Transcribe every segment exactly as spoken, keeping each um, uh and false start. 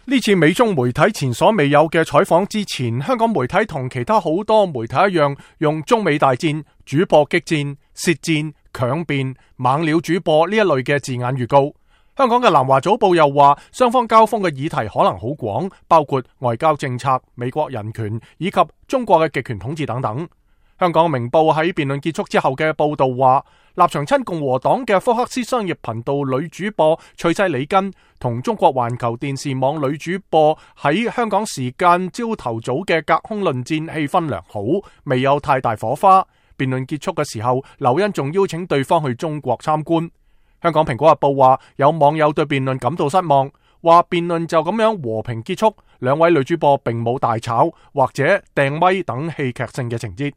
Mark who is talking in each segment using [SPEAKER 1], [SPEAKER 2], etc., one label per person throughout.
[SPEAKER 1] 呢次美中媒體前所未有嘅採訪之前，香港媒體同其他好多媒體一樣，用中美大戰、主播激戰、舌戰、強辯、猛料主播呢一類嘅字眼預告。香港嘅南華早報又話，雙方交鋒嘅議題可能好廣，包括外交政策、美國人權以及中國嘅極權統治等等。香港明報喺辯論結束之後嘅報道話，立場親共和黨嘅福克斯商業頻道女主播翠西里根同中國環球電視網女主播喺香港時間朝頭早嘅隔空論戰氣氛良好，未有太大火花。辯論結束嘅時候，劉茵仲邀請對方去中國參觀。香港蘋果日報話，有網友對辯論感到失望，話辯論就咁樣和平結束，兩位女主播並冇大吵或者掟咪等戲劇性嘅情節。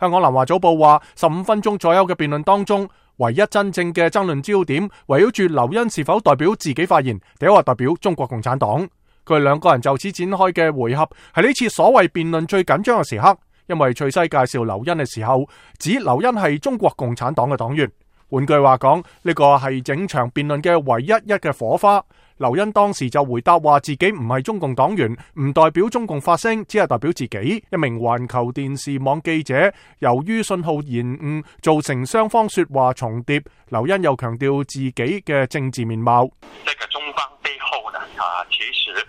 [SPEAKER 1] 香港南華早報話，十五分鐘左右嘅辯論當中，唯一真正嘅爭論焦點圍繞住劉茵是否代表自己發言，定或代表中國共產黨。佢哋兩個人就此展開嘅回合，係呢次所謂辯論最緊張嘅時刻，因為翠西介紹劉茵嘅時候，指劉茵係中國共產黨嘅黨員。換句話講，呢個係整場辯論嘅唯一一嘅火花。劉茵當時就回答話自己唔係中共黨員，唔代表中共發聲，只係代表自己。一名環球電視網記者由於信號延誤造成雙方說話重疊，劉茵又強調自己嘅政治面貌。
[SPEAKER 2] 這個中方背後呢，啊，其實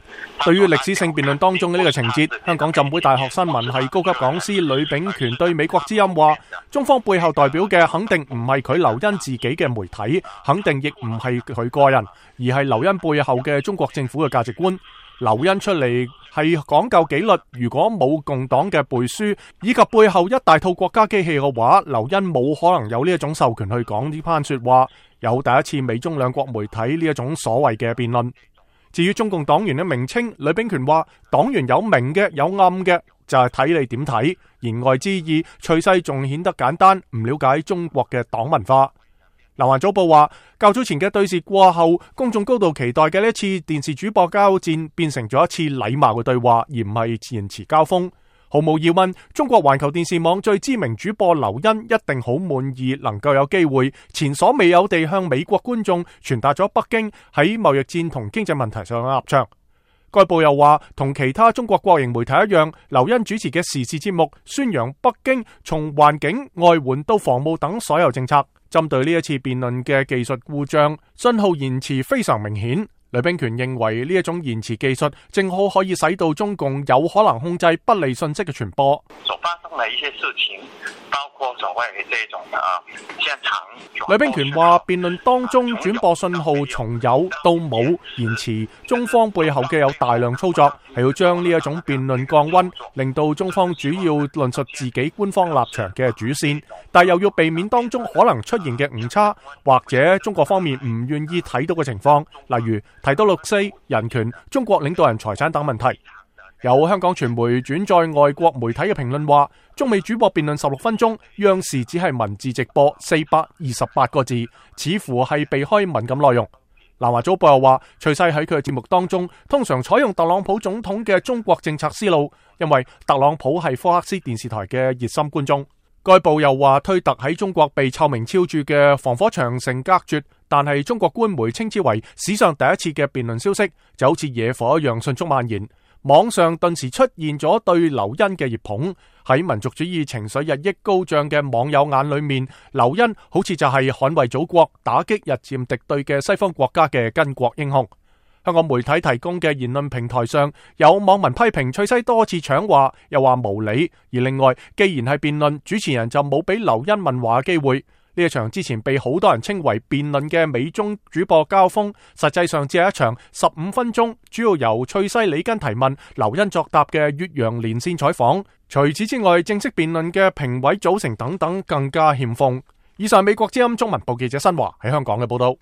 [SPEAKER 1] 對於歷史性辯論當中嘅呢個情節，香港浸會大學新聞系高級講師呂秉權對美國之音話，中方背後代表嘅肯定唔係佢劉茵自己嘅媒體，肯定亦唔係佢個人，而係劉茵背後嘅中國政府嘅價值觀。劉茵出嚟係講究紀律，如果冇共黨嘅背書以及背後一大套國家機器嘅話，劉茵冇可能有呢一種授權去講呢番說話，有第一次美中兩國媒體呢一種所謂嘅辯論。至於中共黨員嘅名稱，呂秉權話黨員有明嘅有暗嘅，就係睇你點睇。言外之意，翠西仲顯得簡單，唔了解中國嘅黨文化。南華早報話，較早前嘅對峙過後，公眾高度期待嘅呢一次電視主播交戰變成咗一次禮貌嘅對話，而唔係言辭交鋒。毫無疑問，中國環球電視網最知名主播劉茵一定好滿意能夠有機會前所未有地向美國觀眾傳達咗北京喺貿易戰同經濟問題上嘅立場。該報又話，同其他中國國營媒體一樣，劉茵主持嘅時事節目宣揚北京從環境、外援到防務等所有政策。針對呢一次辯論嘅技術故障，信號延遲非常明顯。呂秉權認為呢一種延遲技術正好可以使到中共有可能控制不利信息嘅傳播。
[SPEAKER 2] 所發生的一些事情，包括所謂嘅這種啊現場。
[SPEAKER 1] 呂秉權話，辯論當中轉播信號從有到冇延遲，中方背後嘅有大量操作，係要將呢一種辯論降溫，令到中方主要論述自己官方立場嘅主線，但又要避免當中可能出現嘅誤差，或者中國方面唔願意睇到嘅情況，例如提到六四、人權、中國領導人財產等問題。有香港傳媒轉載外國媒體嘅評論話，中美主播辯論十六分鐘，央視只係文字直播四百二十八個字，似乎係避開敏感內容。南華早報又話，翠西喺佢嘅節目當中通常採用特朗普總統嘅中國政策思路，因為特朗普係福克斯電視台嘅熱心觀眾。該報又話，推特喺中國被臭名昭著嘅防火長城隔絕，但係中國官媒稱之為史上第一次嘅辯論消息，就好似野火一樣迅速蔓延。網上頓時出現咗對劉茵嘅熱捧，喺民族主義情緒日益高漲嘅網友眼裏面，劉茵好似就係捍衛祖國、打擊日漸敵對嘅西方國家嘅巾幗英雄。香港媒體提供嘅言論平台上，有網民批評翠西多次搶話，又話無理。而另外，既然係辯論，主持人就冇俾劉茵問話嘅機會。呢一場之前被好多人稱為辯論嘅美中主播交鋒，實際上只係一場十五分鐘，主要由翠西里根提問、劉茵作答嘅越洋連線採訪。除此之外，正式辯論嘅評委組成等等更加欠奉。以上美國之音中文部記者新華喺香港嘅報道。